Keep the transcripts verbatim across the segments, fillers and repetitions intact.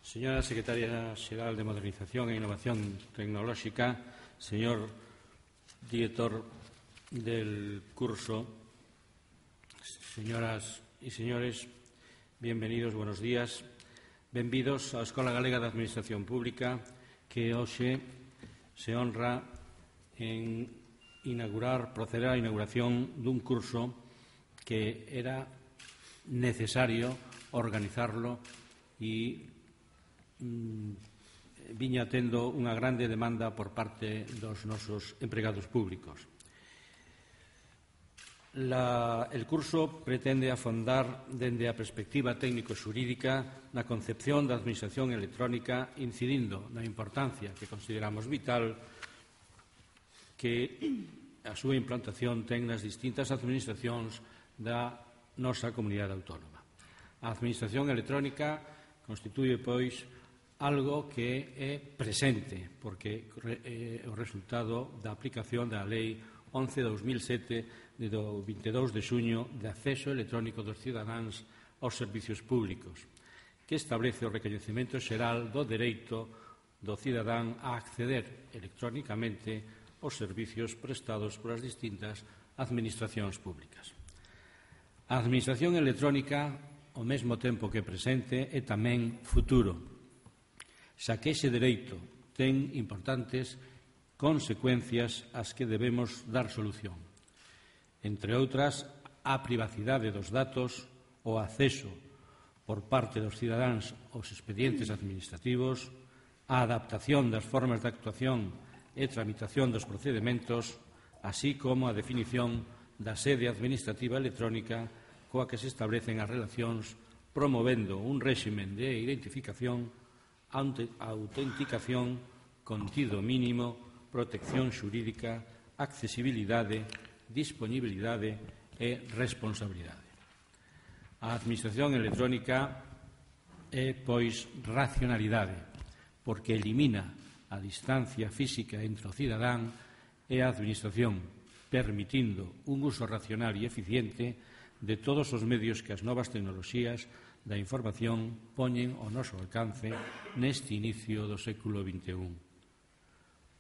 Señora Secretaria Xeral de Modernización e Innovación Tecnolóxica, señor director del curso, señoras e señores, bienvenidos, buenos días. Benvidos á Escola Galega de Administración Pública, que hoxe se honra en inaugurar, proceder á inauguración dun curso que era necesario organizarlo e viña tendo unha grande demanda por parte dos nosos empregados públicos. La, el curso pretende afondar dende a perspectiva técnico-xurídica na concepción da administración electrónica, incidindo na importancia que consideramos vital que a súa implantación ten nas distintas administracións da nosa comunidade autónoma. A administración electrónica constitúe, pois, algo que é presente, porque é o resultado da aplicación da Lei once barra dos mil sete do vinte e dous de xuño de acceso electrónico dos cidadáns aos servicios públicos, que establece o recoñecemento xeral do dereito do cidadán a acceder electrónicamente aos servicios prestados polas distintas administracións públicas. A administración electrónica, ao mesmo tempo que presente, é tamén futuro, xa que ese dereito ten importantes consecuencias ás que debemos dar solución. Entre outras, a privacidade dos datos, o acceso por parte dos cidadáns aos expedientes administrativos, a adaptación das formas de actuación e tramitación dos procedementos, así como a definición da sede administrativa electrónica coa que se establecen as relacións, promovendo un réximen de identificación, autenticación, contido mínimo, protección xurídica, accesibilidade, disponibilidade e responsabilidade. A administración electrónica é, pois, racionalidade, porque elimina a distancia física entre o cidadán e a administración, permitindo un uso racional e eficiente de todos os medios que as novas tecnoloxías da información poñen ao noso alcance neste inicio do século vinte e un.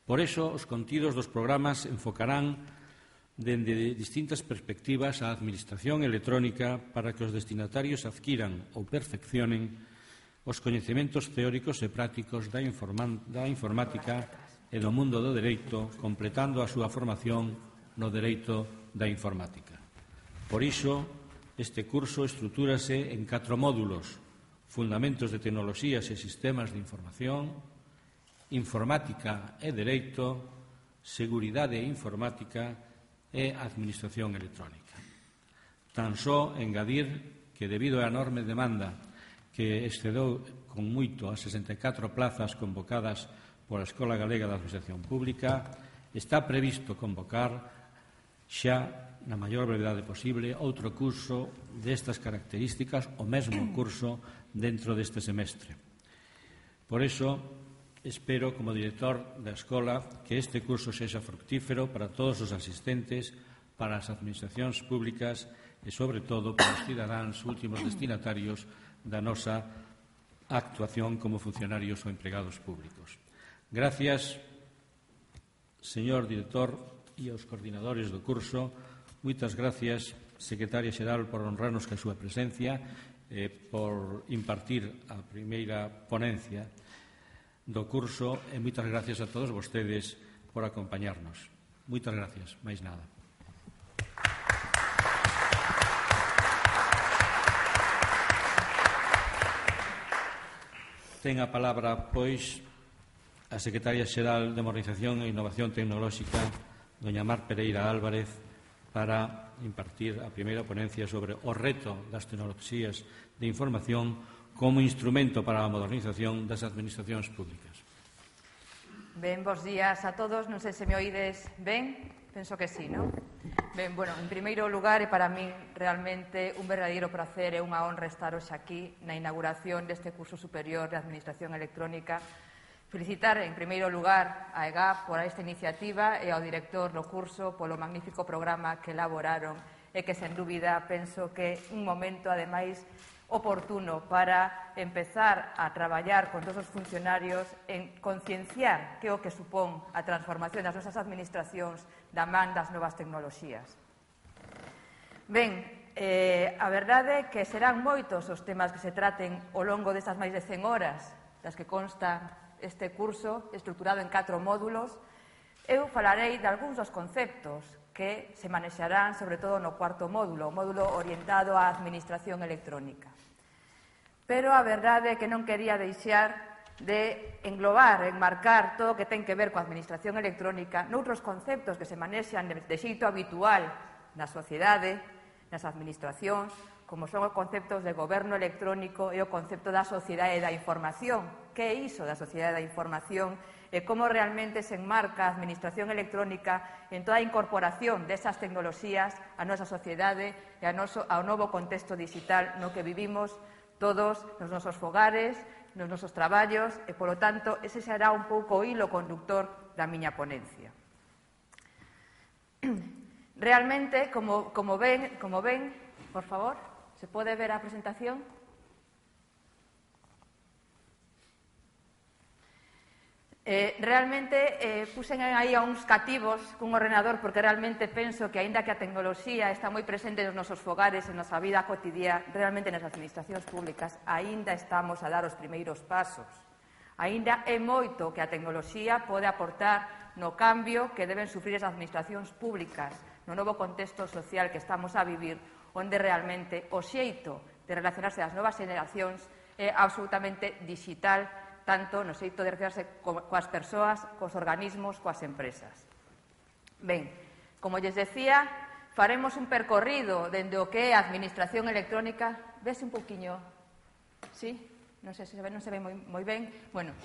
Por iso, os contidos dos programas enfocarán dende distintas perspectivas a administración electrónica para que os destinatarios adquiran ou perfeccionen os coñecementos teóricos e prácticos da, da informática e do mundo do dereito, completando a súa formación no dereito da informática. Por iso, este curso estrutúrase en catro módulos: Fundamentos de Tecnoloxías e Sistemas de Información, Informática e Dereito, Seguridade informática e Administración electrónica. Tan só engadir que, debido á enorme demanda que excedeu con moito as sesenta e catro plazas convocadas pola Escola Galega de Administración Pública, está previsto convocar xa na maior brevidade posible, outro curso destas características, o mesmo curso dentro deste semestre. Por iso, espero, como director da escola, que este curso sexa fructífero para todos os asistentes, para as administracións públicas e, sobre todo, para os cidadáns últimos destinatarios da nosa actuación como funcionarios ou empregados públicos. Gracias, señor director e aos coordinadores do curso. Moitas gracias, Secretaria Xeral, por honrarnos ca súa presencia e por impartir a primeira ponencia do curso, e moitas gracias a todos vostedes por acompañarnos. Moitas gracias, máis nada. Ten a palabra, pois, a Secretaria Xeral de Modernización e Innovación Tecnolóxica, doña Mar Pereira Álvarez, para impartir a primeira ponencia sobre o reto das tecnoloxías de información como instrumento para a modernización das administracións públicas. Ben, bons días a todos. Non sei se me oídes ben. Penso que sí, non? Ben, bueno, en primeiro lugar, é para min realmente un verdadeiro prazer e unha honra estar hoxe aquí na inauguración deste curso superior de Administración Electrónica. Felicitar, en primeiro lugar, a E G A P por esta iniciativa e ao director do curso polo magnífico programa que elaboraron e que, sen dúbida, penso que un momento, ademais, oportuno para empezar a traballar con todos os funcionarios en concienciar que é o que supón a transformación das nosas administracións da man das novas tecnoloxías. Ben, eh, a verdade é que serán moitos os temas que se traten ao longo destas máis de cen horas das que consta este curso estruturado en catro módulos. Eu falarei de algúns dos conceptos que se manexarán, sobre todo no cuarto módulo, o módulo orientado á administración electrónica. Pero a verdade é que non quería deixar de englobar, enmarcar todo o que ten que ver coa administración electrónica noutros conceptos que se manexan de xeito habitual na sociedade, nas administracións, como son os conceptos de goberno electrónico e o concepto da sociedade da información. Que é iso da sociedade da información e como realmente se enmarca a administración electrónica en toda a incorporación desas tecnoloxías á nosa sociedade e ao novo contexto digital no que vivimos todos nos nosos fogares, nos nosos traballos e, polo tanto, ese será un pouco o hilo conductor da miña ponencia. Realmente, como, como, ven, como ven, por favor, se pode ver a presentación? Eh, realmente eh, puxen aí a uns cativos cun ordenador porque realmente penso que, aínda que a tecnoloxía está moi presente nos nosos fogares, en nosa vida cotidiana, realmente nas administracións públicas, aínda estamos a dar os primeiros pasos. Aínda é moito que a tecnoloxía pode aportar no cambio que deben sufrir as administracións públicas no novo contexto social que estamos a vivir, onde realmente o xeito de relacionarse das novas generacións é absolutamente digital, tanto no xeito de relacionarse coas persoas, cos organismos, coas empresas. Ben, como lles decía, faremos un percorrido dende o que é a administración electrónica. Vese un poquinho, sí? Non sei se se ve, non se ve moi, moi ben. Bueno,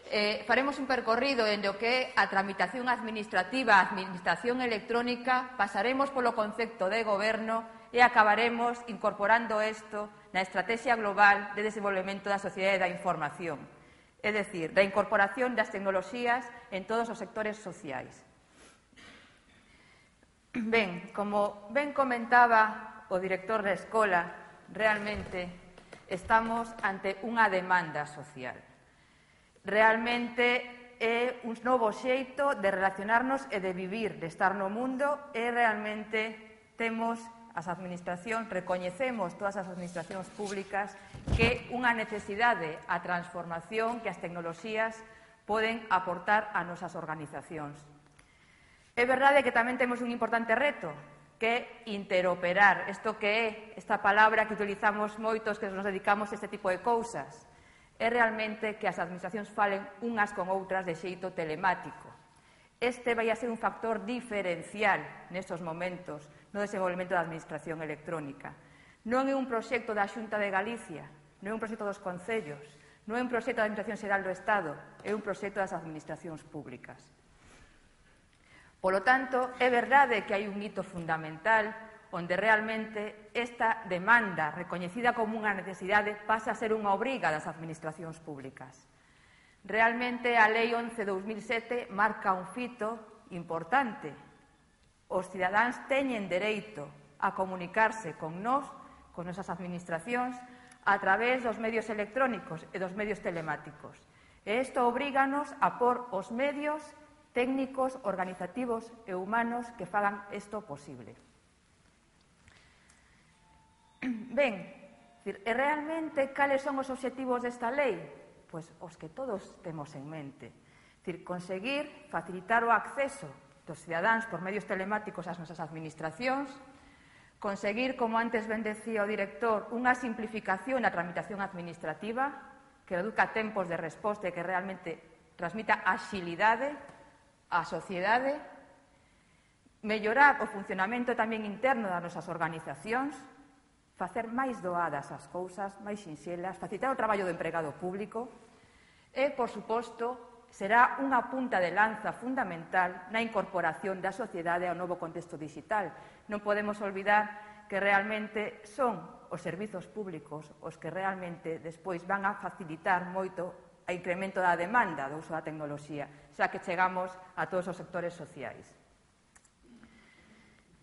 eh, faremos un percorrido dende o que é a tramitación administrativa, a administración electrónica, pasaremos polo concepto de goberno e acabaremos incorporando isto na estrategia global de desenvolvemento da sociedade da información. É dicir, da incorporación das tecnoloxías en todos os sectores sociais. Ben, como ben comentaba o director da escola, realmente estamos ante unha demanda social. Realmente é un novo xeito de relacionarnos e de vivir, de estar no mundo, e realmente temos as administracións, recoñecemos todas as administracións públicas que unha necesidade a transformación que as tecnoloxías poden aportar a nosas organizacións. É verdade que tamén temos un importante reto, que é interoperar, isto que é esta palabra que utilizamos moitos que nos dedicamos a este tipo de cousas. É realmente que as administracións falen unhas con outras de xeito telemático. Este vai a ser un factor diferencial nestes momentos no desenvolvemento da administración electrónica. Non é un proxecto da Xunta de Galicia, non é un proxecto dos concellos, non é un proxecto da Administración Xeral do Estado, é un proxecto das administracións públicas. Polo tanto, é verdade que hai un hito fundamental onde realmente esta demanda, recoñecida como unha necesidade, pasa a ser unha obriga das administracións públicas. Realmente a Lei once barra dos mil sete marca un fito importante. Os cidadáns teñen dereito a comunicarse con nós, con nosas administracións, a través dos medios electrónicos e dos medios telemáticos. E isto obríganos a pôr os medios técnicos, organizativos e humanos que fagan isto posible. Ben, e realmente cales son os obxectivos desta lei? Pois os que todos temos en mente. Dicir, conseguir facilitar o acceso dos cidadáns por medios telemáticos ás nosas administracións, conseguir, como antes ben decía o director, unha simplificación na tramitación administrativa que reduzca tempos de resposta e que realmente transmita axilidade á sociedade, mellorar o funcionamento tamén interno das nosas organizacións, facer máis doadas as cousas, máis sinxelas, facilitar o traballo do empregado público e, por suposto, será unha punta de lanza fundamental na incorporación da sociedade ao novo contexto digital. Non podemos olvidar que realmente son os servizos públicos os que realmente despois van a facilitar moito o incremento da demanda do uso da tecnoloxía, xa que chegamos a todos os sectores sociais.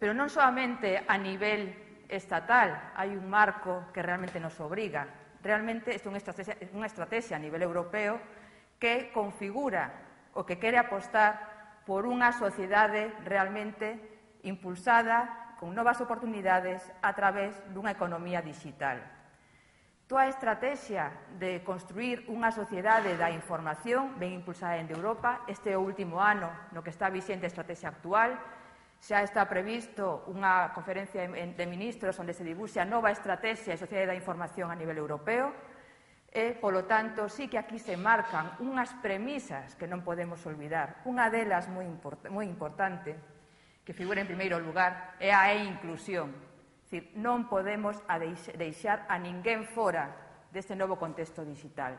Pero non solamente a nivel estatal hai un marco que realmente nos obriga. Realmente isto é unha estrategia, unha estrategia a nivel europeo que configura o que quere apostar por unha sociedade realmente impulsada con novas oportunidades a través dunha economía digital. Toda a estrategia de construir unha sociedade da información ben impulsada en Europa. Este é o último ano no que está vixente a estrategia actual. Xa está previsto unha conferencia de ministros onde se dibuxe a nova estrategia de sociedade da información a nivel europeo e, polo tanto, sí que aquí se marcan unhas premisas que non podemos olvidar. Unha delas moi, import moi importante, que figura en primeiro lugar, é a e-inclusión. É dicir, non podemos deixar a ninguén fora deste novo contexto digital.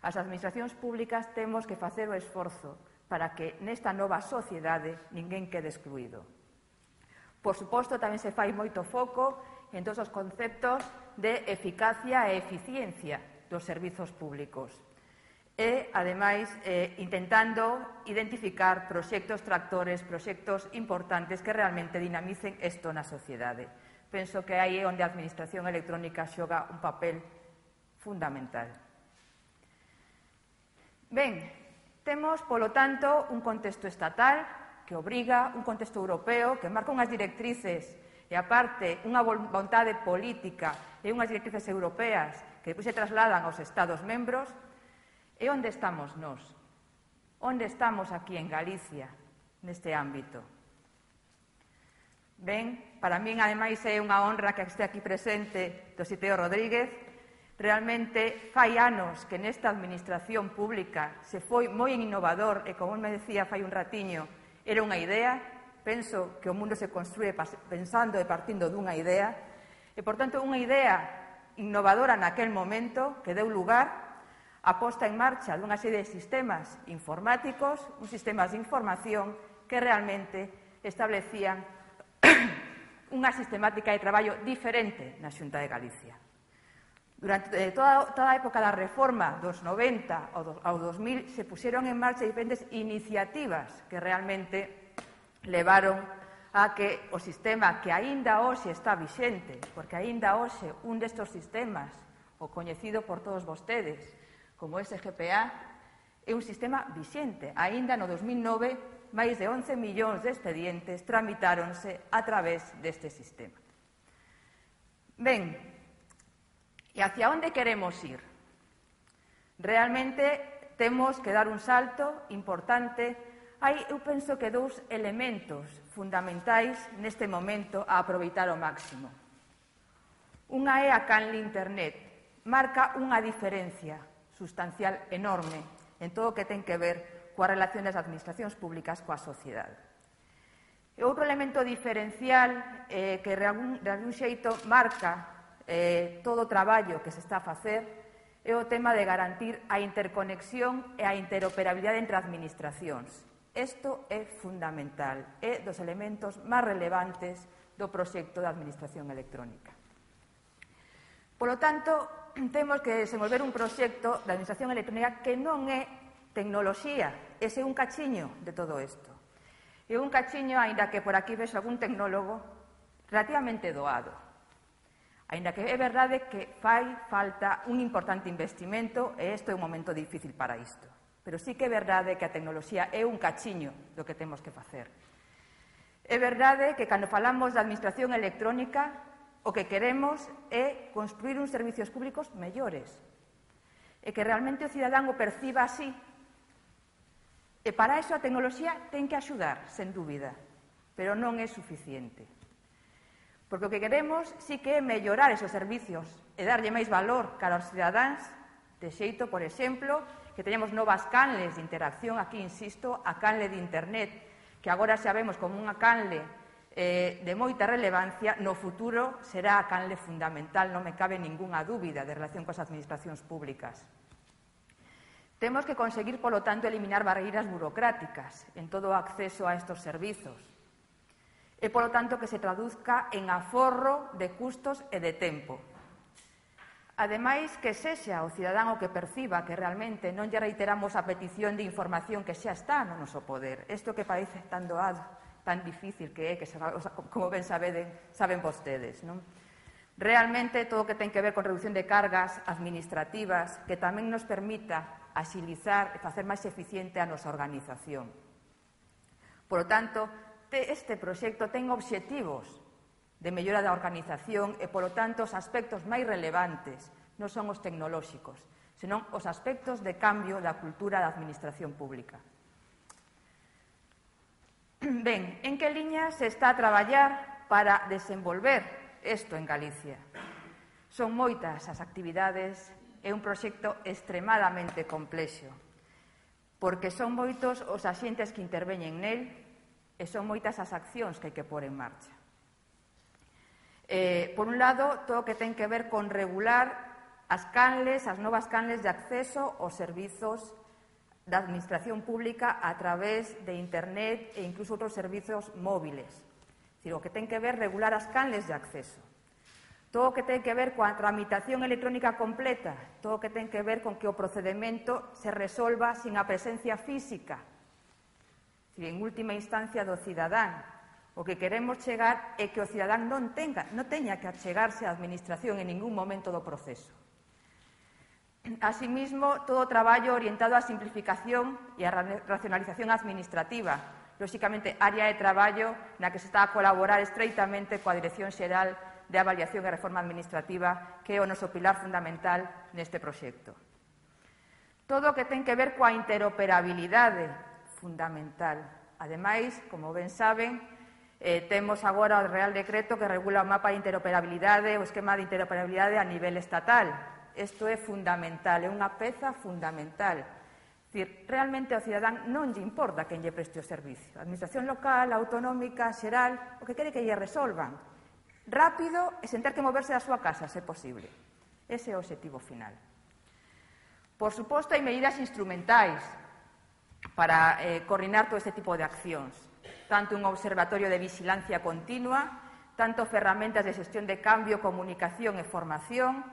As administracións públicas temos que facer o esforzo para que nesta nova sociedade ninguén quede excluído. Por suposto, tamén se fai moito foco en todos os conceptos de eficacia e eficiencia dos servizos públicos e, ademais, eh, intentando identificar proxectos tractores, proxectos importantes que realmente dinamicen isto na sociedade. Penso que aí é onde a administración electrónica xoga un papel fundamental. Ben, temos, polo tanto, un contexto estatal que obriga, un contexto europeo que marca unhas directrices e, aparte, unha vontade política e unhas directrices europeas que depois se trasladan aos Estados membros. E onde estamos nós? Onde estamos aquí en Galicia, neste ámbito? Ben, para min, ademais, é unha honra que este aquí presente Tositeo Rodríguez. Realmente fai anos que nesta administración pública se foi moi innovador e, como me decía fai un ratiño, era unha idea. Penso que o mundo se construe pensando e partindo dunha idea e, por tanto, unha idea innovadora naquel momento que deu lugar a posta en marcha dunha serie de sistemas informáticos, uns sistemas de información que realmente establecían unha sistemática de traballo diferente na Xunta de Galicia. Durante toda, toda a época da reforma dos noventa ao dos mil se puxeron en marcha diferentes iniciativas que realmente levaron a que o sistema que aínda hoxe está vixente, porque aínda hoxe un destes sistemas, o coñecido por todos vostedes como S G P A, é un sistema vixente. Aínda no dos mil nove, máis de once millóns de expedientes tramitáronse a través deste sistema. Ben, e hacia onde queremos ir? Realmente temos que dar un salto importante. Hai, eu penso que dous elementos fundamentais neste momento a aproveitar ao máximo. Unha é a canle Internet. Marca unha diferencia sustancial enorme en todo o que ten que ver coa relación das administracións públicas coa sociedade. E outro elemento diferencial eh, que de algún, de algún xeito marca Eh, todo o traballo que se está a facer é o tema de garantir a interconexión e a interoperabilidade entre administracións. Isto é fundamental, é dos elementos máis relevantes do proxecto da administración electrónica. Polo tanto, temos que desenvolver un proxecto da administración electrónica que non é tecnoloxía, ese é un cachiño de todo isto. É un cachiño, aínda que por aquí vexo algún tecnólogo, relativamente doado. Aínda que é verdade que fai falta un importante investimento e isto é un momento difícil para isto. Pero sí que é verdade que a tecnoloxía é un cachiño do que temos que facer. É verdade que cando falamos da administración electrónica o que queremos é construir uns servicios públicos mellores e que realmente o cidadán o perciba así. E para iso a tecnoloxía ten que axudar, sen dúbida, pero non é suficiente. Porque o que queremos sí que é mellorar esos servicios e darlle máis valor cara aos cidadáns, de xeito, por exemplo, que teñamos novas canles de interacción, aquí insisto, a canle de Internet, que agora xa vemos como unha canle eh, de moita relevancia, no futuro será a canle fundamental, non me cabe ningunha dúbida de relación coas administracións públicas. Temos que conseguir, polo tanto, eliminar barreiras burocráticas en todo o acceso a estes servizos. E, polo tanto, que se traduzca en aforro de custos e de tempo. Ademais, que sexa o cidadán o que perciba que realmente non lle reiteramos a petición de información que xa está no noso poder. Isto que parece tan doado, tan difícil que é, que como ben saben, saben vostedes, non? Realmente todo o que ten que ver con reducción de cargas administrativas que tamén nos permita axilizar e facer máis eficiente a nosa organización. Por lo tanto, este proxecto ten obxectivos de mellora da organización e, por lo tanto, os aspectos máis relevantes non son os tecnolóxicos, senón os aspectos de cambio da cultura da administración pública. Ben, en que liña se está a traballar para desenvolver isto en Galicia? Son moitas as actividades, é un proxecto extremadamente complexo, porque son moitos os axentes que interveñen nel e son moitas as accións que hai que pôr en marcha. Eh, por un lado, todo o que ten que ver con regular as canles, as novas canles de acceso aos servizos da administración pública a través de Internet e incluso outros servizos móviles. É dicir, o que ten que ver regular as canles de acceso. Todo o que ten que ver coa tramitación electrónica completa, todo o que ten que ver con que o procedimento se resolva sin a presencia física, é dicir, en última instancia do cidadán. O que queremos chegar é que o cidadán non tenga, non teña que achegarse á administración en ningún momento do proceso. Asimismo, todo o traballo orientado á simplificación e á racionalización administrativa, lóxicamente, área de traballo na que se está a colaborar estreitamente coa Dirección Xeral de Avaliación e Reforma Administrativa, que é o noso pilar fundamental neste proxecto. Todo o que ten que ver coa interoperabilidade, fundamental. Ademais, como ben saben, eh, temos agora o Real Decreto que regula o mapa de interoperabilidade, o esquema de interoperabilidade a nivel estatal. Isto é fundamental, é unha peza fundamental. É dicir, realmente ao cidadán non lle importa quen lle preste o servicio. A administración local, autonómica, xeral, o que quere que lle resolvan rápido e sen ter que moverse da súa casa, se posible. Ese é o obxectivo final. Por suposto, hai medidas instrumentais para eh, coordinar todo este tipo de accións. Tanto un observatorio de vigilancia continua, tanto ferramentas de xestión de cambio, comunicación e formación,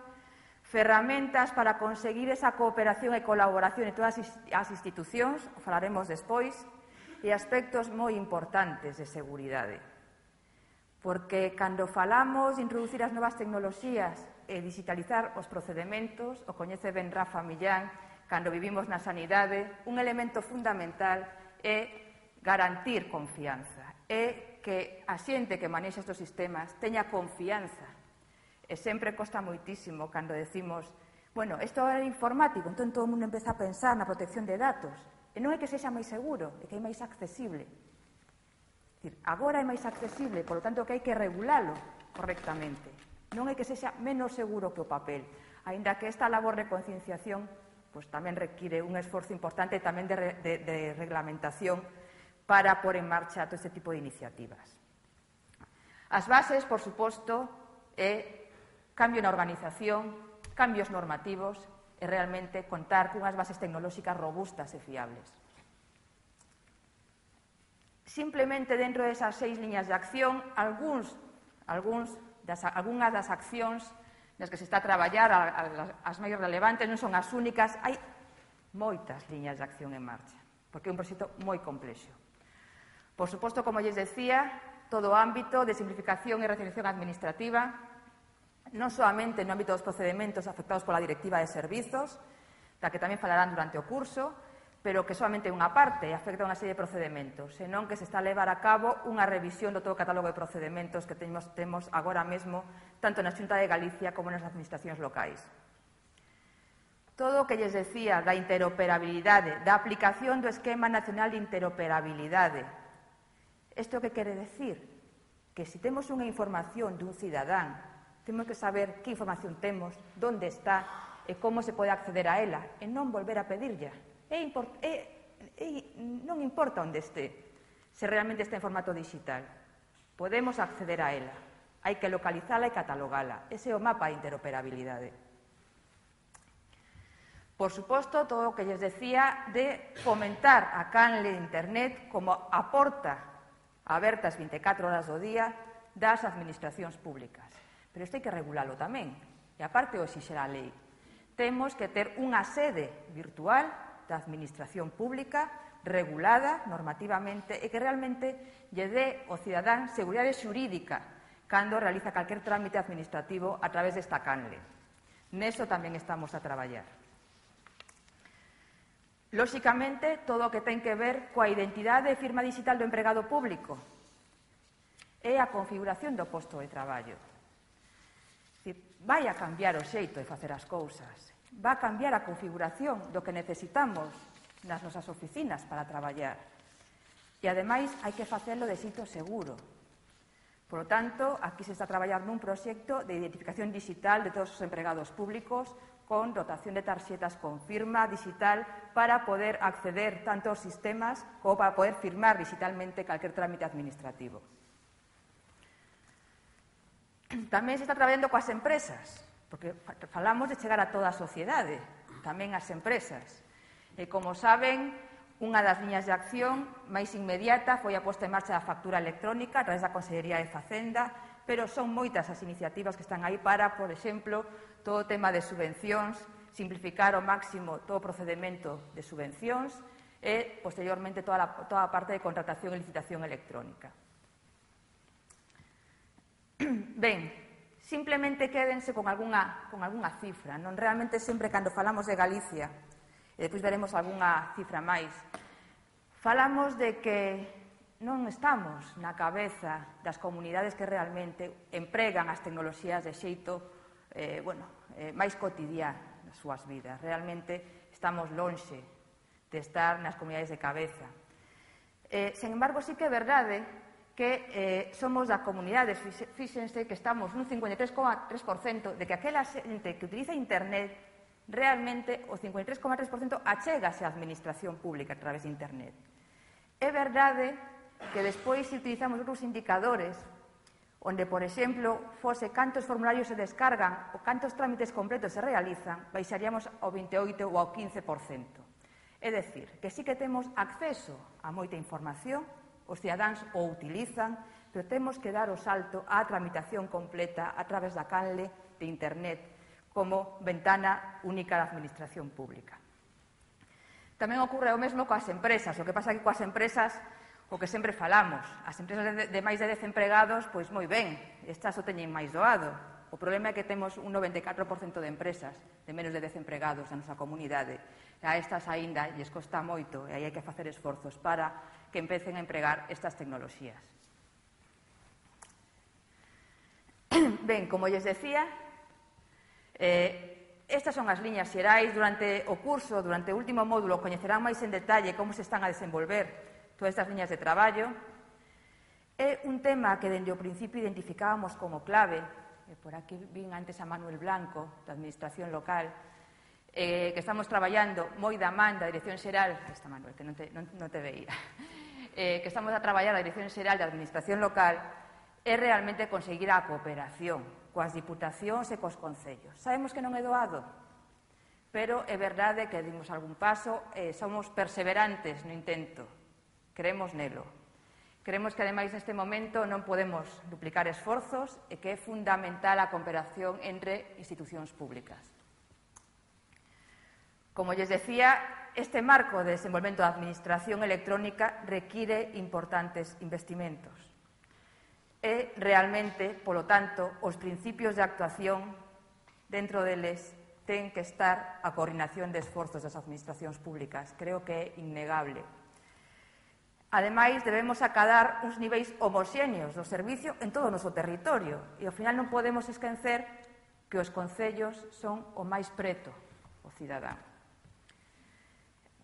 ferramentas para conseguir esa cooperación e colaboración en todas as institucións, o falaremos despois, e aspectos moi importantes de seguridade. Porque cando falamos de introducir as novas tecnoloxías e digitalizar os procedementos, o coñece ben Rafa Millán, cando vivimos na sanidade, un elemento fundamental é garantir confianza, é que a xente que manexa estes sistemas teña confianza. E sempre costa moitísimo cando decimos, bueno, isto é informático, entón todo o mundo empeza a pensar na protección de datos. E non é que sexa máis seguro, é que é máis accesible. É dicir, agora é máis accesible, por lo tanto que hai que regulalo correctamente. Non é que sexa menos seguro que o papel, aínda que esta labor de concienciación pues, tamén require un esforzo importante tamén de, de, de reglamentación para pôr en marcha todo este tipo de iniciativas. As bases, por suposto, é cambio na organización, cambios normativos e realmente contar cunhas bases tecnolóxicas robustas e fiables. Simplemente dentro desas seis liñas de acción, algúns, algúns das, algunhas das accións nas que se está a traballar, as máis relevantes, non son as únicas, hai moitas liñas de acción en marcha, porque é un proxecto moi complexo. Por suposto, como lles decía, todo o ámbito de simplificación e racionalización administrativa, non solamente no ámbito dos procedementos afectados pola Directiva de Servizos, da que tamén falarán durante o curso, pero que solamente unha parte afecta a unha serie de procedementos, senón que se está a levar a cabo unha revisión do todo o catálogo de procedementos que temos, temos agora mesmo, tanto na Xunta de Galicia como nas administracións locais. Todo o que lles decía da interoperabilidade, da aplicación do Esquema Nacional de Interoperabilidade. Isto que quere decir? Que se temos unha información dun cidadán, temos que saber que información temos, onde está e como se pode acceder a ela e non volver a pedirlla. E, import, e, e non importa onde este, se realmente está en formato digital. Podemos acceder a ela. Hai que localizala e catalogala. Ese é o mapa de interoperabilidade. Por suposto, todo o que lles decía de fomentar a canle de Internet como a porta aberta as vinte e catro horas do día das administracións públicas. Pero isto hai que regulalo tamén. E aparte o exixer a lei. Temos que ter unha sede virtual da administración pública regulada normativamente e que realmente lle dé ao cidadán seguridade xurídica cando realiza calquer trámite administrativo a través desta canle. Neso tamén estamos a traballar. Lóxicamente, todo o que ten que ver coa identidade e firma digital do empregado público e a configuración do posto de traballo. Vai a cambiar o xeito de facer as cousas, vai a cambiar a configuración do que necesitamos nas nosas oficinas para traballar. E, ademais, hai que facelo de xeito seguro. Por lo tanto, aquí se está a traballar nun proxecto de identificación digital de todos os empregados públicos con dotación de tarxetas con firma digital para poder acceder tanto aos sistemas como para poder firmar digitalmente calquer trámite administrativo. Tamén se está traballando coas empresas, porque falamos de chegar a toda a sociedade, tamén as empresas. E, como saben, unha das liñas de acción máis inmediata foi a posta en marcha da factura electrónica a través da Consellería de Facenda, pero son moitas as iniciativas que están aí para, por exemplo, todo o tema de subvencións, simplificar ao máximo todo o procedimento de subvencións e, posteriormente, toda a, toda a parte de contratación e licitación electrónica. Ben, simplemente quédense con algunha, con algunha cifra. Non realmente sempre cando falamos de Galicia, e depois veremos algunha cifra máis, falamos de que non estamos na cabeza das comunidades que realmente empregan as tecnoloxías de xeito eh, bueno, eh, máis cotidiano nas súas vidas. Realmente estamos lonxe de estar nas comunidades de cabeza. Eh, sen embargo, sí que é verdade que eh, somos da comunidade, fíxense que estamos nun cincuenta e tres coma tres por cento de que aquela xente que utiliza internet realmente o cincuenta e tres coma tres por cento achégase á administración pública a través de internet. É verdade que despois, se utilizamos outros indicadores, onde, por exemplo, fose cantos formularios se descargan ou cantos trámites completos se realizan, baixaríamos ao vinte e oito ou ao quince por cento. É dicir, que sí que temos acceso a moita información, os cidadáns o utilizan, pero temos que dar o salto á tramitación completa a través da canle de internet como ventana única da administración pública. Tamén ocorre o mesmo coas empresas. O que pasa que coas empresas, o que sempre falamos, as empresas de, de máis de dez empregados, pois moi ben, estas o teñen máis doado. O problema é que temos un noventa e catro por cento de empresas de menos de dez empregados na nosa comunidade. A estas aínda lles costa moito e aí hai que facer esforzos para que empecen a empregar estas tecnoloxías. Ben, como lles decía, eh, estas son as liñas xerais. Durante o curso, durante o último módulo, coñecerán máis en detalle como se están a desenvolver todas estas liñas de traballo. É un tema que dende o principio identificábamos como clave, e por aquí vin antes a Manuel Blanco, da Administración Local, eh, que estamos traballando moi da man da Dirección Xeral, esta Manuel, que non te, non, non te veía, eh, que estamos a traballar a Dirección Xeral da Administración Local, é realmente conseguir a cooperación coas diputacións e cos concellos. Sabemos que non é doado, pero é verdade que dimos algún paso e somos perseverantes no intento. Creemos nelo. Creemos que, ademais, neste momento non podemos duplicar esforzos e que é fundamental a cooperación entre institucións públicas. Como lles decía, este marco de desenvolvemento da administración electrónica require importantes investimentos. E, realmente, polo tanto, os principios de actuación dentro deles ten que estar a coordinación de esforzos das administracións públicas. Creo que é innegable. Ademais, debemos acadar uns niveis homoxéneos do servicio en todo o noso territorio e, ao final, non podemos esquecer que os concellos son o máis preto o cidadán.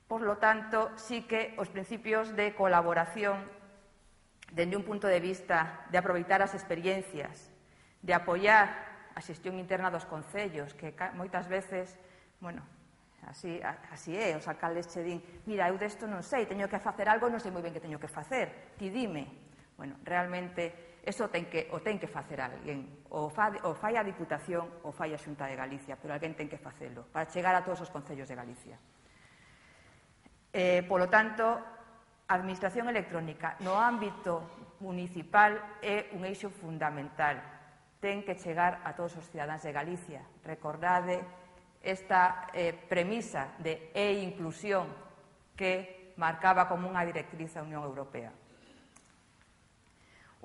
Por lo tanto, sí que os principios de colaboración dende un punto de vista de aproveitar as experiencias, de apoiar a xestión interna dos concellos, que moitas veces, bueno, así, así é, os alcaldes che din, mira, eu desto non sei, teño que facer algo, non sei moi ben que teño que facer, ti dime. Bueno, realmente, eso ten que, o ten que facer alguén, o, fa, o fai a Diputación ou fai a Xunta de Galicia, pero alguén ten que facelo, para chegar a todos os concellos de Galicia. Eh, polo tanto, a administración electrónica no ámbito municipal é un eixo fundamental. Ten que chegar a todos os cidadáns de Galicia. Recordade esta eh, premisa de e-inclusión que marcaba como unha directriz a Unión Europea.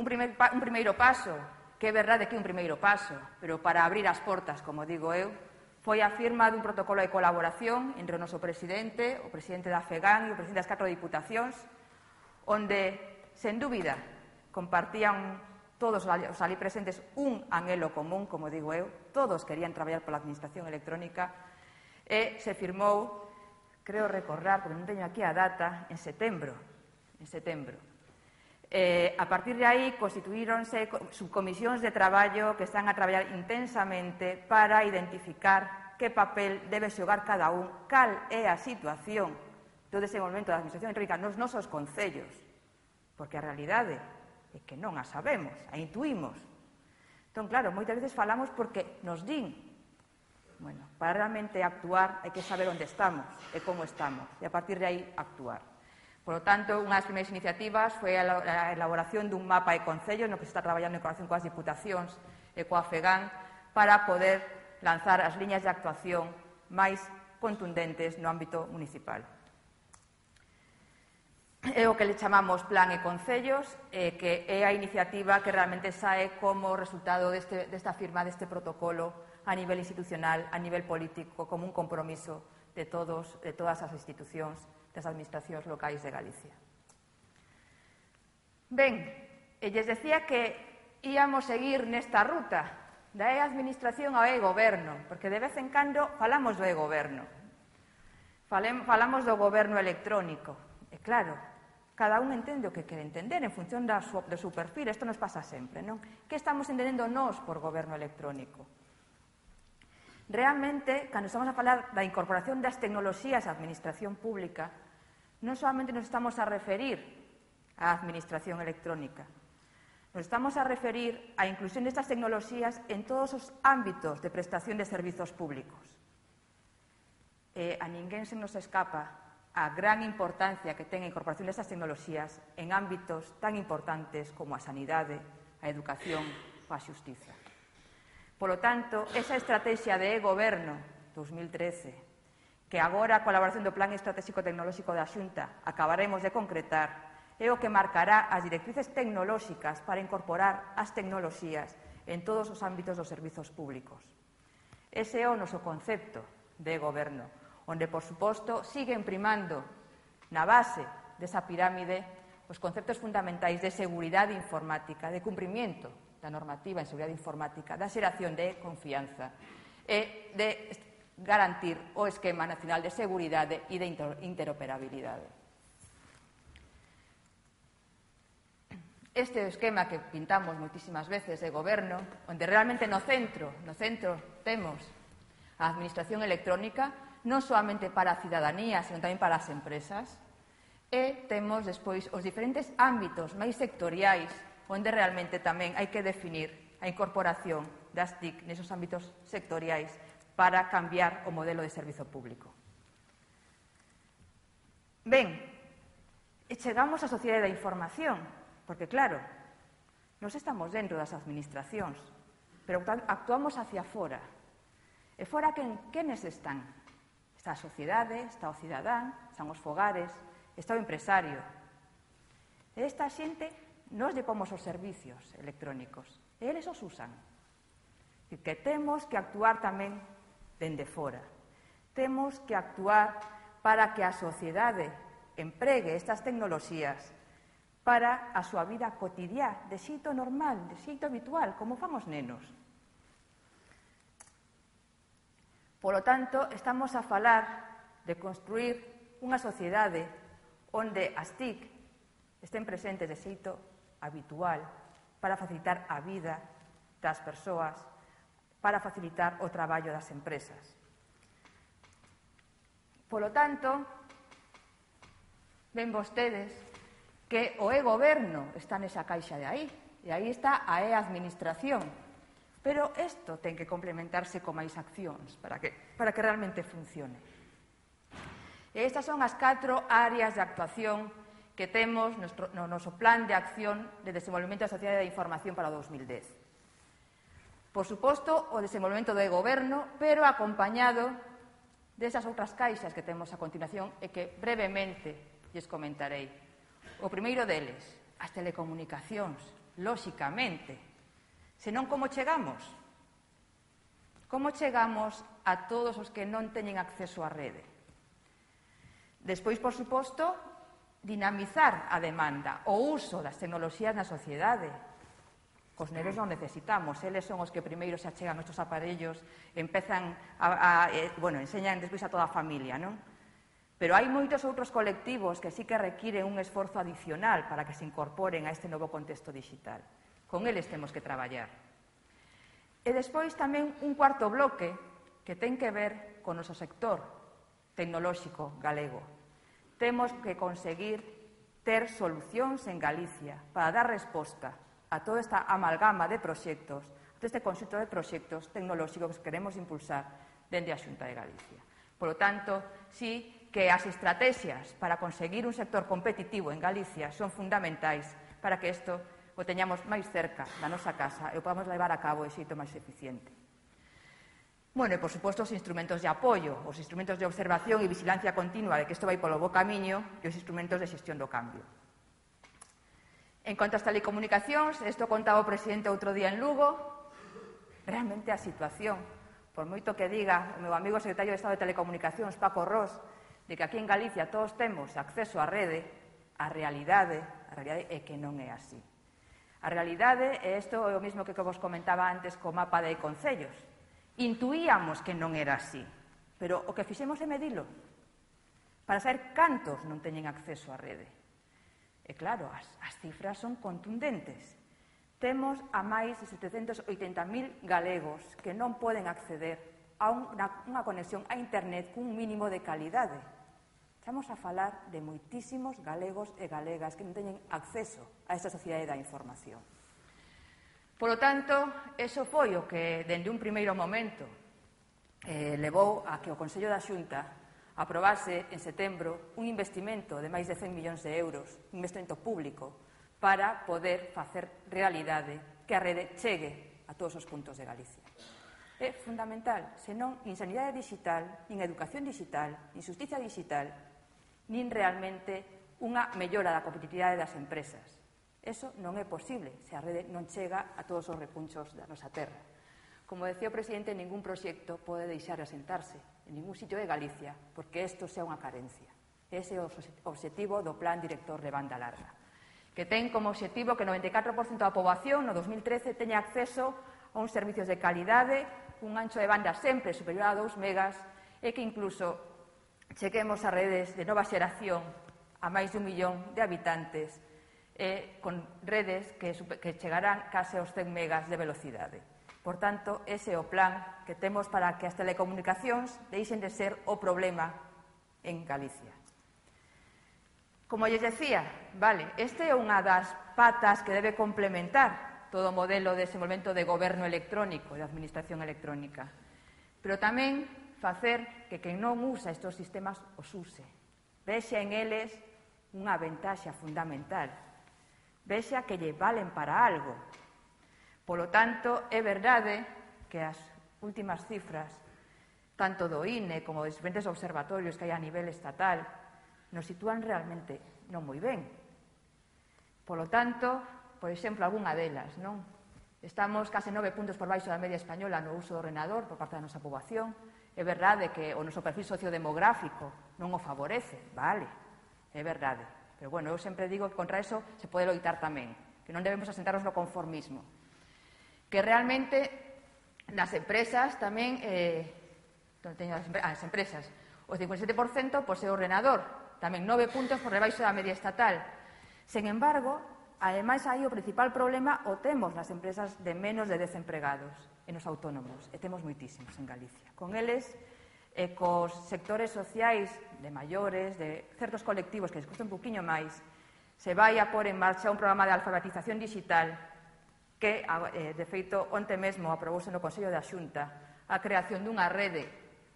Un, primer, un primeiro paso, que é verdade que é un primeiro paso, pero para abrir as portas, como digo eu, foi a firma dun protocolo de colaboración entre o noso presidente, o presidente da FEGAN e o presidente das catro diputacións, onde, sen dúbida, compartían todos os ali presentes un anhelo común, como digo eu, todos querían traballar pola administración electrónica, e se firmou, creo recordar, porque non teño aquí a data, en setembro, en setembro. Eh, a partir de aí constituíronse subcomisións de traballo que están a traballar intensamente para identificar que papel debe xogar cada un, cal é a situación do desenvolvemento da administración electrónica nos nosos concellos, porque a realidade é que non a sabemos, a intuímos. Entón, claro, moitas veces falamos porque nos din. Bueno, para realmente actuar hai que saber onde estamos e como estamos, e a partir de aí actuar. Por lo tanto, unha das primeiras iniciativas foi a elaboración dun mapa de concellos no que se está traballando en colaboración coas diputacións e coa FEGAN para poder lanzar as liñas de actuación máis contundentes no ámbito municipal. É o que le chamamos Plan e Concellos, eh, que é a iniciativa que realmente sae como resultado deste, desta firma deste protocolo a nivel institucional, a nivel político, como un compromiso de, todos, de todas as institucións das administracións locais de Galicia. Ben, e lles decía que íamos seguir nesta ruta da e-administración ao e-goberno, porque de vez en cando falamos do e-goberno, falamos do goberno electrónico, e claro, cada un entende o que quere entender en función da su, do seu perfil, isto nos pasa sempre, non? Que estamos entendendo nós por goberno electrónico? Realmente, cando estamos a falar da incorporación das tecnoloxías á administración pública, non solamente nos estamos a referir á administración electrónica, nos estamos a referir á inclusión destas tecnoloxías en todos os ámbitos de prestación de servizos públicos. E a ninguén se nos escapa a gran importancia que ten a incorporación destas tecnoloxías en ámbitos tan importantes como a sanidade, a educación ou a xustiza. Por lo tanto, esa estrategia de e-goberno dos mil trece, que agora a colaboración do Plan Estratégico Tecnolóxico da Xunta acabaremos de concretar, é o que marcará as directrices tecnolóxicas para incorporar as tecnoloxías en todos os ámbitos dos servizos públicos. Ese é o noso concepto de goberno, onde, por suposto, siguen primando na base desa pirámide os conceptos fundamentais de seguridade informática, de cumprimento da normativa en seguridade informática, da xeración de confianza e de garantir o esquema nacional de seguridade e de interoperabilidade. Este é o esquema que pintamos moitísimas veces de goberno, onde realmente no centro, no centro temos a administración electrónica, non solamente para a cidadanía, senón tamén para as empresas, e temos despois os diferentes ámbitos máis sectoriais onde realmente tamén hai que definir a incorporación das T I C nesos ámbitos sectoriais para cambiar o modelo de servizo público. Ben, e chegamos á sociedade da información, porque, claro, nos estamos dentro das administracións, pero actuamos hacia fora. E fora, quen, quenes están? Está a sociedade, está o cidadán, están os fogares, está o empresario. E esta xente, nos lle pomos os servicios electrónicos, e eles os usan. E que temos que actuar tamén dende fora. Temos que actuar para que a sociedade empregue estas tecnoloxías para a súa vida cotidiá, de xeito normal, de xeito habitual, como famos nenos. Polo tanto, estamos a falar de construir unha sociedade onde as T I C estén presentes de xeito habitual para facilitar a vida das persoas, para facilitar o traballo das empresas. Polo tanto, ven vostedes que o e-goberno está nesa caixa de aí, e aí está a e-administración. Pero isto ten que complementarse con máis accións para que, para que realmente funcione. E estas son as catro áreas de actuación que temos no noso plan de acción de desenvolvemento da sociedade da información para o dos mil dez. Por suposto, o desenvolvemento do e-goberno, pero acompañado desas outras caixas que temos a continuación e que brevemente lles comentarei. O primeiro deles, as telecomunicacións, lóxicamente. Senón, como chegamos? Como chegamos a todos os que non teñen acceso á rede? Despois, por suposto, dinamizar a demanda, o uso das tecnoloxías na sociedade. Os nenos non necesitamos, eles son os que primeiro se achegan estes aparellos, empezan a, a eh, bueno, enseñan despois a toda a familia, non? Pero hai moitos outros colectivos que sí que requiren un esforzo adicional para que se incorporen a este novo contexto digital. Con eles temos que traballar. E despois tamén un cuarto bloque que ten que ver con o noso sector tecnolóxico galego. Temos que conseguir ter solucións en Galicia para dar resposta a toda esta amalgama de proxectos, a todo este conxunto de proxectos tecnolóxicos que queremos impulsar dende a Xunta de Galicia. Por lo tanto, sí que as estrategias para conseguir un sector competitivo en Galicia son fundamentais para que isto o teñamos máis cerca da nosa casa e o podamos levar a cabo de xeito máis eficiente. Bueno, e, por suposto, os instrumentos de apoio, os instrumentos de observación e vigilancia continua de que isto vai polo bo camiño e os instrumentos de xestión do cambio. En cuanto ás telecomunicacións, isto contaba o presidente outro día en Lugo, realmente a situación, por moito que diga o meu amigo secretario de Estado de Telecomunicacións, Paco Ros, de que aquí en Galicia todos temos acceso á rede, a realidade, a realidade é que non é así. A realidade, e isto é o mesmo que vos comentaba antes co mapa de concellos, intuíamos que non era así, pero o que fixemos é medilo, para saber cantos non teñen acceso á rede. E claro, as, as cifras son contundentes. Temos a máis de setecentos oitenta mil galegos que non poden acceder a unha, unha conexión a internet cun mínimo de calidade. Estamos a falar de moitísimos galegos e galegas que non teñen acceso a esta sociedade da información. Por lo tanto, eso foi o que, dende un primeiro momento, eh, levou a que o Consello da Xunta aprobase en setembro un investimento de máis de cen millóns de euros, un investimento público, para poder facer realidade que a rede chegue a todos os puntos de Galicia. É fundamental, senón nin sanidade digital, nin educación digital, nin justicia digital, nin realmente unha mellora da competitividade das empresas. Eso non é posible se a rede non chega a todos os repunchos da nosa terra. Como decía o presidente, ningún proxecto pode deixar de asentarse en ningún sitio de Galicia, porque isto sea unha carencia. Ese é o obxectivo do Plan Director de Banda Larga, que ten como obxectivo que o noventa e catro por cento da poboación no dos mil trece teña acceso a uns servicios de calidade, un ancho de banda sempre superior a dous megas e que incluso chequemos a redes de nova xeración a máis de un millón de habitantes e con redes que, que chegarán case aos cen megas de velocidade. Por tanto, ese é o plan que temos para que as telecomunicacións deixen de ser o problema en Galicia. Como lles decía, vale, este é unha das patas que debe complementar todo o modelo de desenvolvemento de goberno electrónico e de administración electrónica. Pero tamén facer que quen non usa estes sistemas os use. Vexa en eles unha ventaxa fundamental. Vexa que lle valen para algo. Polo tanto, é verdade que as últimas cifras, tanto do I N E como dos diferentes observatorios que hai a nivel estatal, nos sitúan realmente non moi ben. Polo tanto, por exemplo, algunha delas, non? Estamos case nove puntos por baixo da media española no uso do ordenador por parte da nosa poboación. É verdade que o noso perfil sociodemográfico non o favorece, vale, é verdade. Pero, bueno, eu sempre digo que contra eso se pode loitar tamén, que non debemos asentarnos no conformismo. Que realmente nas empresas tamén, eh, teño as empresas, o cincuenta e sete por cento posee ordenador, tamén nove puntos por debaixo da media estatal. Sen embargo, ademais aí o principal problema o temos nas empresas de menos de dez empregados e nos autónomos, e temos moitísimos en Galicia. Con eles, e cos sectores sociais de maiores, de certos colectivos que les custa un poquinho máis, se vai a pôr en marcha un programa de alfabetización digital que, de feito, onte mesmo aprobouse no Consello da Xunta a creación dunha rede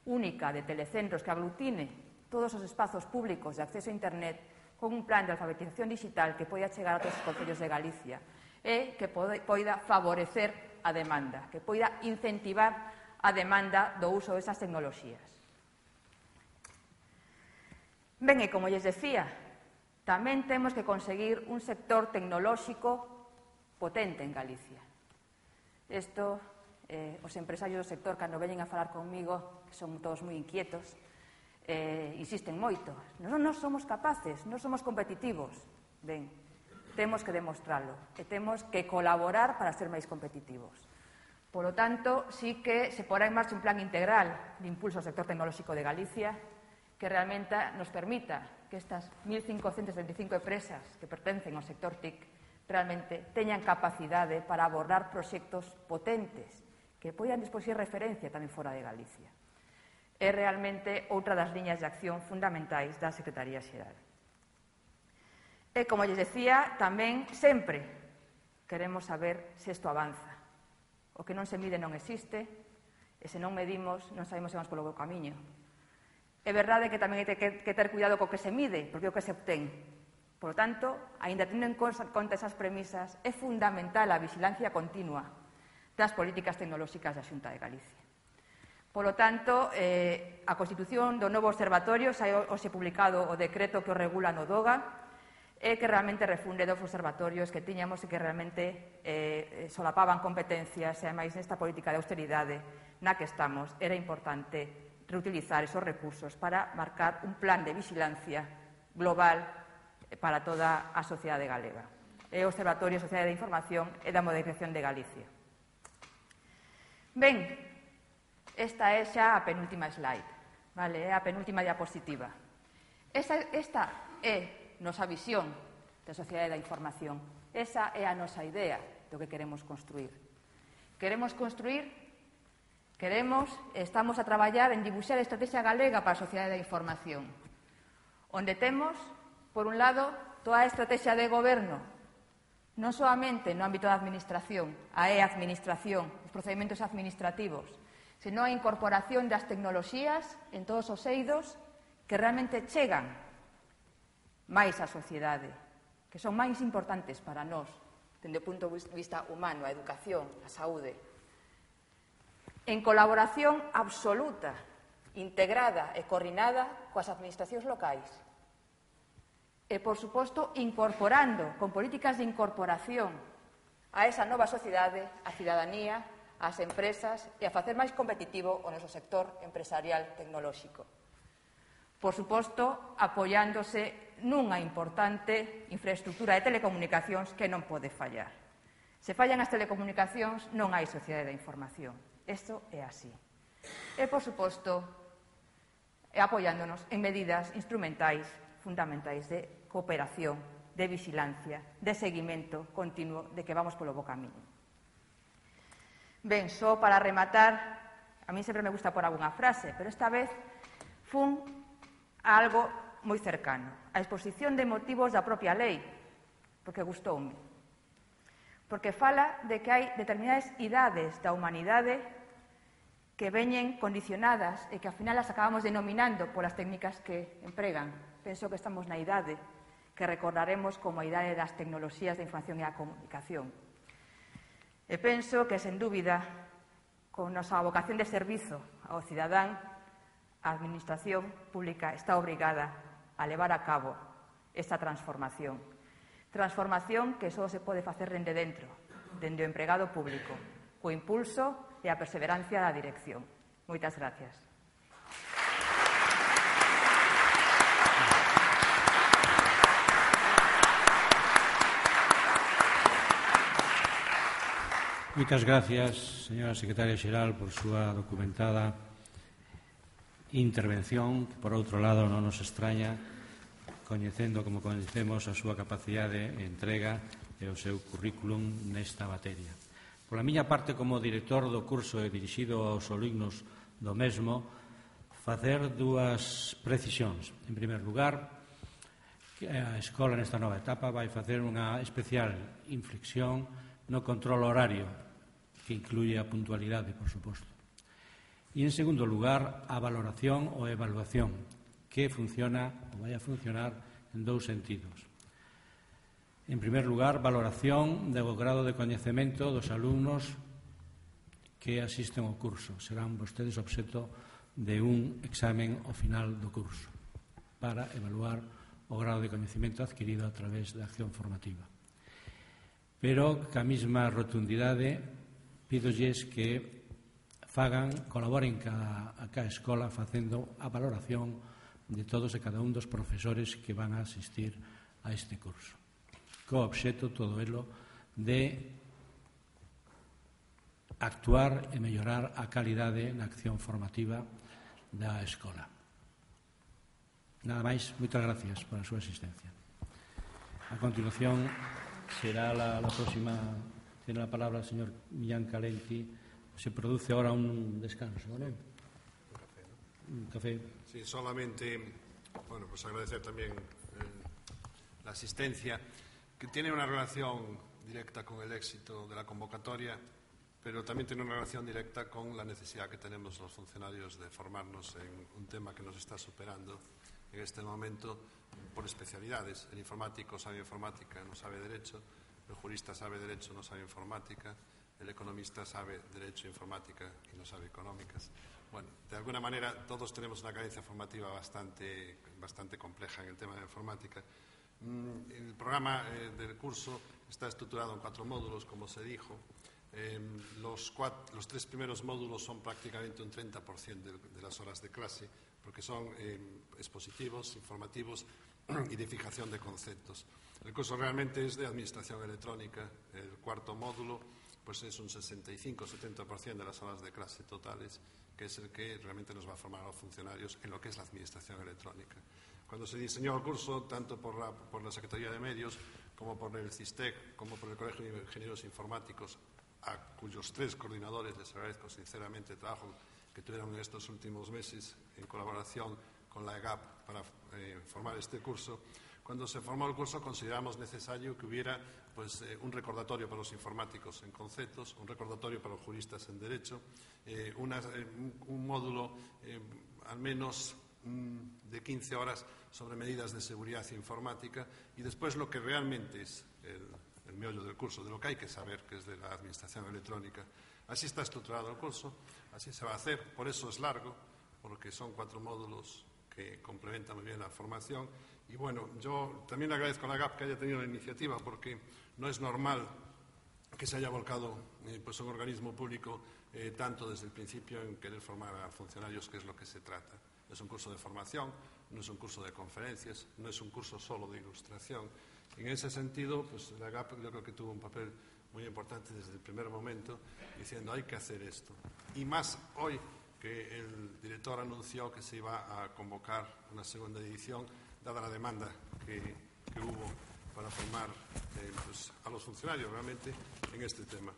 única de telecentros que aglutine todos os espazos públicos de acceso a internet con un plan de alfabetización digital que poida chegar a todos os concellos de Galicia e que poida favorecer a demanda, que poida incentivar a demanda do uso desas tecnoloxías. Ben, e como lles decía, Tamén temos que conseguir un sector tecnolóxico potente en Galicia. Isto, eh, os empresarios do sector, cando veñen a falar comigo, que son todos moi inquietos, eh, insisten moito. Non, non somos capaces, non somos competitivos. Ben, temos que demostralo e temos que colaborar para ser máis competitivos. Por lo tanto, sí que se porá en marcha un plan integral de impulso ao sector tecnolóxico de Galicia que realmente nos permita que estas mil cincocentas treinta e cinco empresas que pertencen ao sector T I C realmente teñan capacidade para abordar proxectos potentes que poidan despois ser referencia tamén fora de Galicia. É realmente outra das liñas de acción fundamentais da Secretaría Xeral. E, como lles decía, tamén sempre queremos saber se isto avanza. O que non se mide non existe, e se non medimos non sabemos se vamos polo bo camiño. É verdade que tamén hai que ter cuidado co que se mide, porque é o que se obtén. Por lo tanto, aínda tendo en conta esas premisas, é fundamental a vigilancia continua das políticas tecnolóxicas da Xunta de Galicia. Por lo tanto, eh, a constitución do novo observatorio, xa hoxe publicado o decreto que o regula no DOGA, é que realmente refunde dos observatorios que tiñamos e que realmente eh, solapaban competencias, e ademais nesta política de austeridade na que estamos era importante reutilizar esos recursos para marcar un plan de vigilancia global para toda a sociedade galega. É o Observatorio de Sociedade de Información e da Modernización de Galicia. Ben, esta é xa a penúltima slide, vale? É a penúltima diapositiva. Esta, esta é nosa visión da sociedade da información. Esa é a nosa idea do que queremos construir. Queremos construir Queremos, estamos a traballar en dibuixar a estrategia galega para a sociedade da información, onde temos, por un lado, toda a estrategia de goberno, non solamente no ámbito da administración, a e-administración, os procedimentos administrativos, senón a incorporación das tecnoloxías en todos os eidos que realmente chegan máis á sociedade, que son máis importantes para nós, dende o punto de vista humano, a educación, a saúde. En colaboración absoluta, integrada e coordinada coas administracións locais. E, por suposto, incorporando, con políticas de incorporación a esa nova sociedade, a cidadanía, as empresas e a facer máis competitivo o noso sector empresarial tecnolóxico. Por suposto, apoiándose nunha importante infraestructura de telecomunicacións que non pode fallar. Se fallan as telecomunicacións, non hai sociedade da información. Isto é así. E, por suposto, apoiándonos en medidas instrumentais fundamentais de cooperación, de vigilancia, de seguimento continuo de que vamos polo bo camiño. Ben, só para rematar, a mí sempre me gusta por algunha frase, pero esta vez fun a algo moi cercano, a exposición de motivos da propia lei, porque gustoume. Porque fala de que hai determinadas idades da humanidade que veñen condicionadas e que ao final as acabamos denominando polas técnicas que empregan. Penso que estamos na idade que recordaremos como a idade das tecnoloxías da información e da comunicación. E penso que, sen dúbida, con nosa vocación de servizo ao cidadán, a Administración Pública está obrigada a levar a cabo esta transformación. Transformación que só se pode facer dende dentro, dende o empregado público, co impulso e a perseverancia da dirección. Moitas gracias. Moitas gracias, señora Secretaria Xeral, por súa documentada intervención, que, por outro lado, non nos extraña, coñecendo como coñecemos a súa capacidade de entrega e o seu currículum nesta materia. Pola miña parte, como director do curso e dirixido aos alumnos do mesmo, facer dúas precisións. En primer lugar, a escola nesta nova etapa vai facer unha especial inflexión no control horario, que incluye a puntualidade, por suposto. E, en segundo lugar, a valoración ou evaluación, que funciona ou vai a funcionar en dous sentidos. En primer lugar, valoración do grado de coñecemento dos alumnos que asisten ao curso. Serán vostedes obxecto de un examen ao final do curso para evaluar o grado de coñecemento adquirido a través da acción formativa. Pero, ca mesma rotundidade, pídolles que fagan, colaboren cada, a cada escola facendo a valoración de todos e cada un dos profesores que van a asistir a este curso. Co obxecto, todo elo, de actuar e mellorar a calidade na acción formativa da escola. Nada máis, moitas gracias por a súa asistencia. A continuación será la, la próxima, tiene la palabra el señor Millán Calenti. Se produce ahora un descanso, ¿vale? Un café, ¿no? Un café. Sí, solamente, bueno, pues agradecer también eh, la asistencia, que tiene una relación directa con el éxito de la convocatoria, pero también tiene una relación directa con la necesidad que tenemos los funcionarios de formarnos en un tema que nos está superando en este momento por especialidades. El informático sabe informática, no sabe derecho; el jurista sabe derecho, no sabe informática; el economista sabe derecho e informática y no sabe económicas. Bueno, de alguna manera todos tenemos una carencia formativa bastante, bastante compleja en el tema de la informática. El programa eh, del curso está estructurado en cuatro módulos, como se dijo. Eh, los, cuatro, los tres primeros módulos son prácticamente un treinta por ciento de, de las horas de clase, porque son eh, expositivos, informativos y de fijación de conceptos. El curso realmente es de administración electrónica. El cuarto módulo pues es un sesenta y cinco a setenta por ciento de las horas de clase totales, que es el que realmente nos va a formar a los funcionarios en lo que es la administración electrónica. Cuando se diseñó el curso, tanto por la, por la Secretaría de Medios, como por el CISTEC, como por el Colegio de Ingenieros Informáticos, a cuyos tres coordinadores les agradezco sinceramente el trabajo que tuvieron en estos últimos meses en colaboración con la E G A P para eh, formar este curso. Cuando se formó el curso consideramos necesario que hubiera pues, eh, un recordatorio para los informáticos en conceptos, un recordatorio para los juristas en derecho, eh, una, eh, un, un módulo eh, al menos mm, de quince horas sobre medidas de seguridad informática, y después lo que realmente es el, el meollo del curso, de lo que hay que saber, que es de la administración electrónica. Así está estructurado el curso, así se va a hacer, por eso es largo, porque son cuatro módulos que complementan muy bien la formación. Y bueno, yo también le agradezco a la G A P que haya tenido la iniciativa, porque no es normal que se haya volcado eh, pues un organismo público eh, tanto desde el principio en querer formar a funcionarios, que es lo que se trata. Es un curso de formación, no es un curso de conferencias, no es un curso solo de ilustración. En ese sentido, pues la G A P yo creo que tuvo un papel muy importante desde el primer momento, diciendo hay que hacer esto. Y más hoy que el director anunció que se iba a convocar una segunda edición, dada la demanda que, que hubo para formar eh, pues, a los funcionarios realmente en este tema.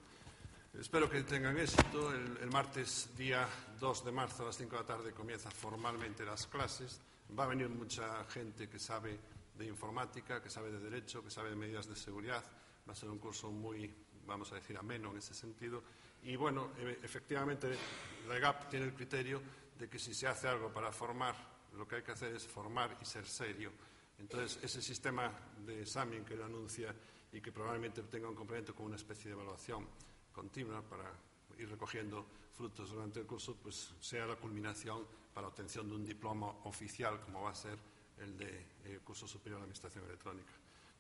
Espero que tengan éxito. El, el martes, día dos de marzo, a las cinco de la tarde, comienzan formalmente las clases. Va a venir mucha gente que sabe de informática, que sabe de derecho, que sabe de medidas de seguridad. Va a ser un curso muy, vamos a decir, ameno en ese sentido. Y bueno, e- efectivamente, la G A P tiene el criterio de que si se hace algo para formar, lo que hay que hacer es formar y ser serio. Entonces, ese sistema de examen que él anuncia y que probablemente tenga un complemento con una especie de evaluación continua para ir recogiendo frutos durante el curso, pues sea la culminación para la obtención de un diploma oficial, como va a ser el de eh, Curso Superior de Administración Electrónica.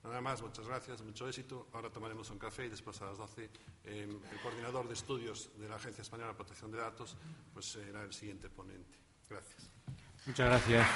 Nada más, muchas gracias, mucho éxito. Ahora tomaremos un café y después a las doce eh, el coordinador de estudios de la Agencia Española de Protección de Datos pues será el siguiente ponente. Gracias. Muchas gracias.